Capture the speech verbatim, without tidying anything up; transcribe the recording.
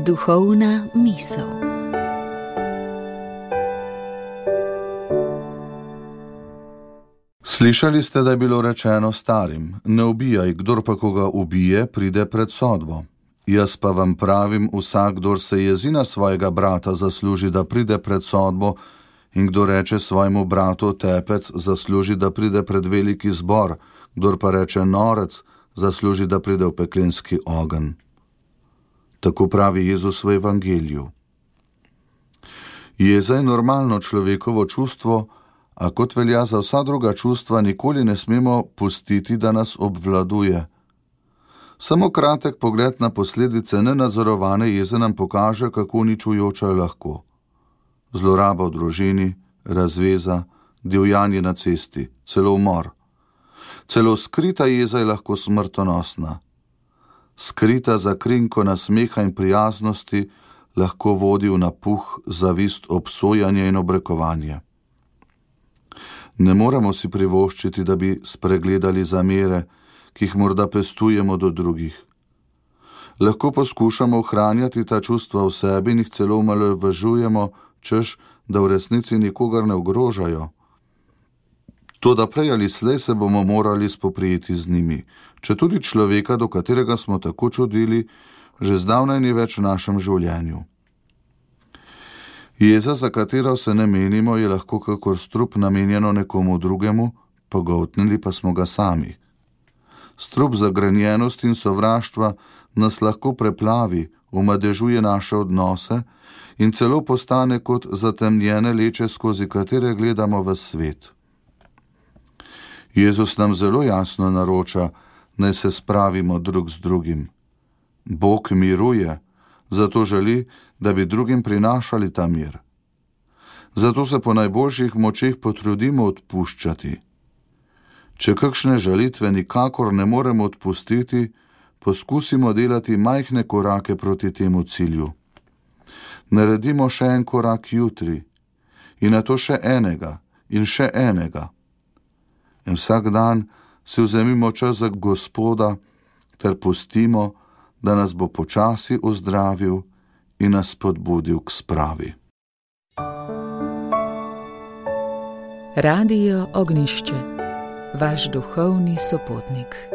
Duhovna misel. Slišali ste, da je bilo rečeno starim: ne ubijaj, kdor pa koga ubije, pride pred sodbo. Jaz pa vam pravim, vsak, kdor se jezi na svojega brata, zasluži, da pride pred sodbo, in kdo reče svojemu bratu tepec, zasluži, da pride pred veliki zbor, kdor pa reče norec, zasluži, da pride v peklenski ogenj. Tako pravi Jezus v Evangeliju. Jeza je normalno človekovo čustvo, a kot velja za vsa druga čustva, nikoli ne smemo pustiti, da nas obvladuje. Samo kratek pogled na posledice nenadzorovane jeze nam pokaže, kako uničujoča je lahko. Zloraba v družini, razveza, divjanje na cesti, celo umor. Celo skrita jeza je lahko smrtonosna. Skrita za krinko nasmeha in prijaznosti lahko vodi v napuh, zavist, obsojanje in obrekovanje. Ne moremo si privoščiti, da bi spregledali zamere, ki jih morda pestujemo do drugih. Lahko poskušamo ohranjati ta čustva v sebi in jih celo omalovažujemo, češ, da v resnici nikogar ne ogrožajo. Toda prej ali slej se bomo morali spoprijeti z njimi, če tudi človeka, do katerega smo tako čudili, že zdavnaj ni več v našem življenju. Jeza, za katero se ne menimo, je lahko kakor strup namenjeno nekomu drugemu, pogoltnili pa smo ga sami. Strup zagrenjenosti in sovraštva nas lahko preplavi, omadežuje naše odnose in celo postane kot zatemnjene leče, skozi katere gledamo v svet. Jezus nam zelo jasno naroča, naj se spravimo drug z drugim. Bog miruje, zato želi, da bi drugim prinašali ta mir. Zato se po najboljših močeh potrudimo odpuščati. Če kakšne žalitve nikakor ne moremo odpustiti, poskusimo delati majhne korake proti temu cilju. Naredimo še en korak jutri in nato še enega in še enega. In vsak dan si vzemimo čas za Gospoda ter pustimo, da nas bo počasi ozdravil in nas spodbudil k spravi. Radio Ognjišče, vaš duhovni sopotnik.